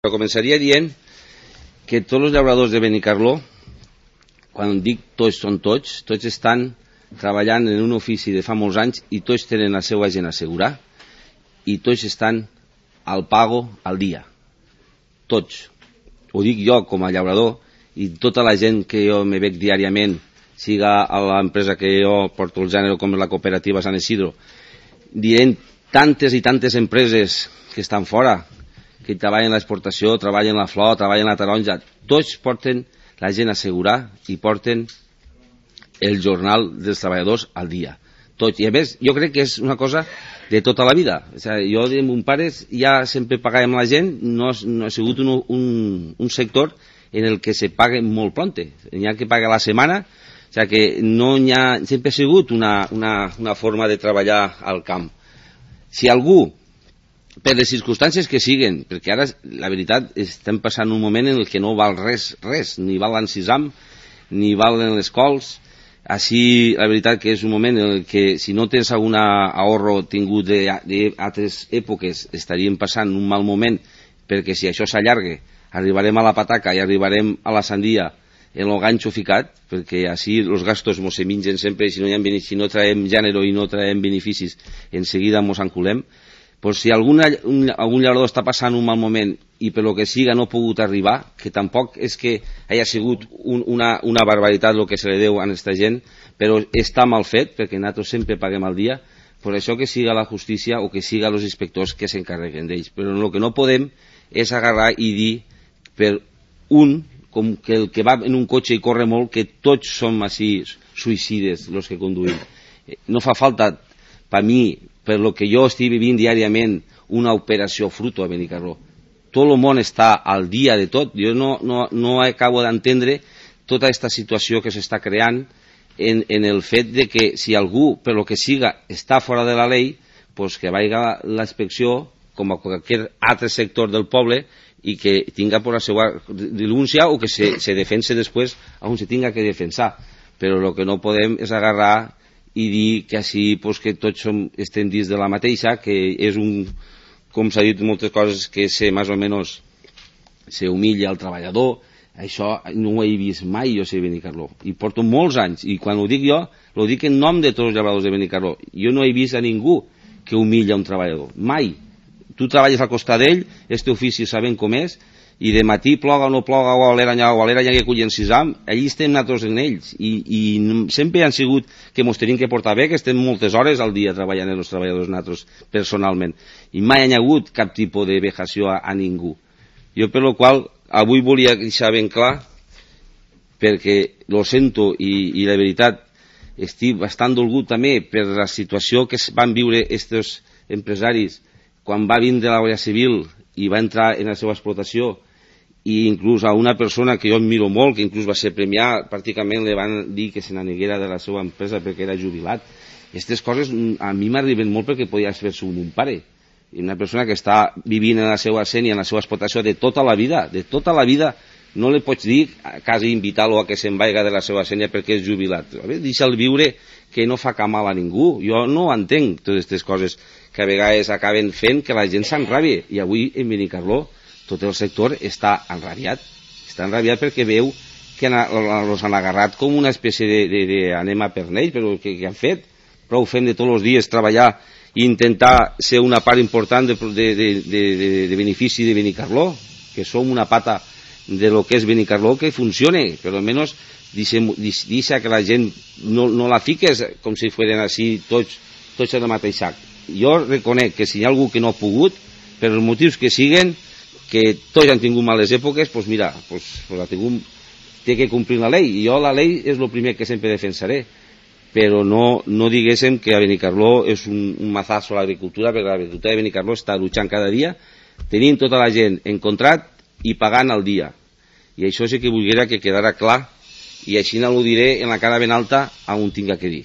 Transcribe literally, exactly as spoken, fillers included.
Però començaria dient que tots els llauradors de Benicarló, quan dic tots són tots, tots estan treballant en un ofici de fa molts anys i tots tenen la seva gent assegurar i tots estan al pago al dia. Tots. Ho dic jo com a llaurador i tota la gent que jo me veig diàriament, siga a l'empresa que jo porto el gènere com és la cooperativa Sant Isidro, dient tantes i tantes empreses que estan fora, que treballen l'exportació, treballen la flor, treballen la taronja, tots porten la gent a assegurar i porten el jornal dels treballadors al dia. Tots. I a més, jo crec que és una cosa de tota la vida. O sigui, jo de mon pares ja sempre pagàvem la gent, no, no ha sigut un, un, un sector en el que se pague molt pronte. N'hi ha que pagar la setmana, o sigui que no hi ha, sempre ha sigut una, una, una forma de treballar al camp. Si algú, per les circumstàncies que siguen, perquè ara, la veritat, estem passant un moment en el que no val res, res, ni val l'encisam, ni valen les cols. Així, la veritat que és un moment en el que, si no tens algun ahorro tingut d'altres èpoques, estaríem passant un mal moment, perquè si això s'allarga, arribarem a la pataca i arribarem a la sandia en el ganxo ficat, perquè així els gastos mos se mengen sempre, i si no, ha, si no traiem gènere i no traiem beneficis, en seguida mos enculem. Pues si algun, un, algun llaurador està passant un mal moment i per lo que siga no ha pogut arribar, que tampoc és que hagi sigut un, una, una barbaritat el que se li deu a aquesta gent, però està mal fet, perquè nosaltres sempre paguem al dia, per això que siga la justícia o que siga els inspectors que s'encarreguen d'ells. Però el que no podem és agarrar i dir per un, com que el que va en un cotxe i corre molt, que tots som així suïcides els que conduïm. No fa falta, per mi, per lo que jo estic vivint diàriament, una operació fruto a Benicarló. Tot el món està al dia de tot. Jo no, no, no acabo d'entendre tota aquesta situació que s'està creant en, en el fet de que si algú, per lo que siga, està fora de la llei, pues que vaiga la inspecció com a qualsevol altre sector del poble i que tinga per la seva denúncia o que se, se defense després on se tinga que defensar. Però el que no podem és agarrar i dir que així pues, que tots som, estem dins de la mateixa, que és un, com s'ha dit moltes coses, que se més o menys se humilla al treballador. Això no ho he vist mai jo sé Benicarló, i porto molts anys, i quan ho dic jo ho dic en nom de tots els llauradors de Benicarló. Jo no he vist a ningú que humilla un treballador, mai. Tu treballes al costat d'ell, este ofici sabem com és, i de matí ploga o no ploga, o a l'era allà, o a l'era allà que cullen sisam, allí estem nosaltres en ells, i, i sempre han sigut que mos tenim que portar bé, que estem moltes hores al dia treballant els treballadors nosaltres personalment, i mai hi ha hagut cap tipus de vejació a, a ningú. Jo per lo qual avui volia deixar ben clar, perquè lo sento i, i la veritat estic bastant dolgut també per la situació que van viure aquests empresaris quan va vindre la Guàrdia Civil i va entrar en la seva explotació, i inclús a una persona que jo admiro molt, que inclús va ser premiat, pràcticament li van dir que se n'aneguera de la seva empresa perquè era jubilat. Aquestes coses a mi m'arriben molt perquè podia fer-se un, un pare. I una persona que està vivint en la seva sènia, en la seva explotació de tota la vida, de tota la vida, no li pots dir quasi invitar-lo a que se'n vaiga de la seva sènia perquè és jubilat. Deixa'l viure, que no fa cap mal a ningú. Jo no entenc totes aquestes coses que a vegades acaben fent que la gent s'enrabia. I avui en Benicarló tot el sector està enrabiat. Està enrabiat perquè veu que els han agarrat com una espècie de, de, de anem a pernell, però que, que han fet? Prou fent de tots els dies treballar i intentar ser una part important de, de, de, de, de, de benefici de Benicarló, que som una pata de lo que és Benicarló, que funcione, però almenys deixa que la gent no, no la fiques com si fueren així tots, tots en el mateix sac. Jo reconec que si hi ha algú que no ha pogut, per els motius que siguen, que tots han tingut males èpoques, doncs mira, pues, pues la tingut, té que complir la llei, i jo la llei és el primer que sempre defensaré, però no, no diguéssim que a Benicarló és un, un mazazo a l'agricultura, perquè l'agricultura de Benicarló està luchant cada dia, tenint tota la gent en contrat i pagant al dia. I això sí que volguera que quedara clar, i així no ho diré en la cara ben alta a on tinga que dir.